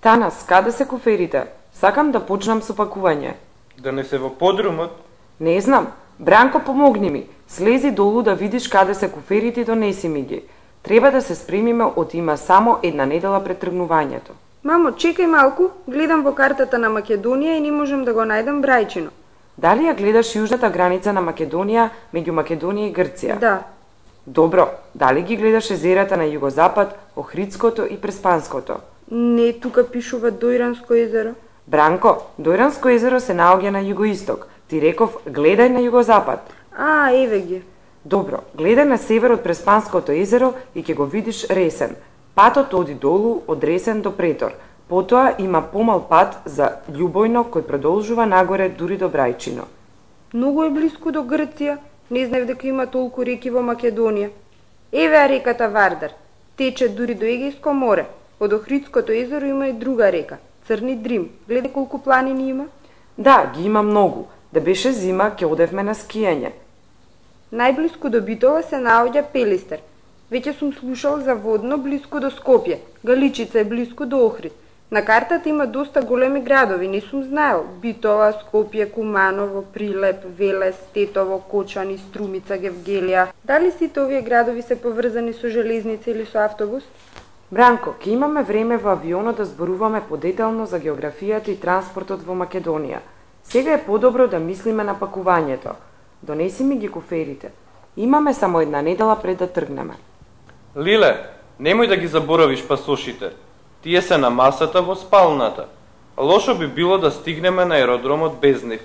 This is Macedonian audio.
Танас, каде се куферите? Сакам да почнам со пакување. Да не се во подрумот? Не знам. Бранко, помогни ми. Слези долу да видиш каде се куферите и донеси ми ги. Треба да се спремиме од има само една недела пред тргнувањето. Мамо, чекај малку, гледам во картата на Македонија и не можам да го најдам Брајчино. Дали ја гледаш јужната граница на Македонија меѓу Македонија и Грција? Да. Добро, дали ги гледаш езерата на југозапад, Охридското и Преспанското? Не, тука пишува Дојранско езеро. Бранко, Дојранско езеро се наоѓа на југоисток. Ти реков, гледај на југозапад. Еве ги. Добро, гледај на север од Преспанското езеро и ќе го видиш Ресен. Патот оди долу од Ресен до Претор. Потоа има помал пат за Љубојно кој продолжува нагоре дури до Брајчино. Многу е блиску до Грција. Не знаев дека има толку реки во Македонија. Еве реката Вардар. Тече дури до Егејско море. Од Охридското езеро има и друга река, Црни Дрим. Гледај колку планини има. Да, ги има многу. Да беше зима, ќе одевме на скијање. Најблиску до Битола се наоѓа Пелистер. Веќе сум слушал за Водно блиску до Скопје. Галичица е блиску до Охрид. На картата има доста големи градови, не сум знаел. Битола, Скопје, Куманово, Прилеп, Велес, Тетово, Кочани, Струмица, Гевгелија. Дали сите овие градови се поврзани со железница или со автобус? Бранко, ќе имаме време во авионот да зборуваме подетално за географијата и транспортот во Македонија. Сега е подобро да мислиме на пакувањето. Донеси ми ги куферите. Имаме само една недела пред да тргнеме. Лиле, немој да ги заборавиш пасошите. Тие се на масата во спалната. Лошо би било да стигнеме на аеродромот без нив.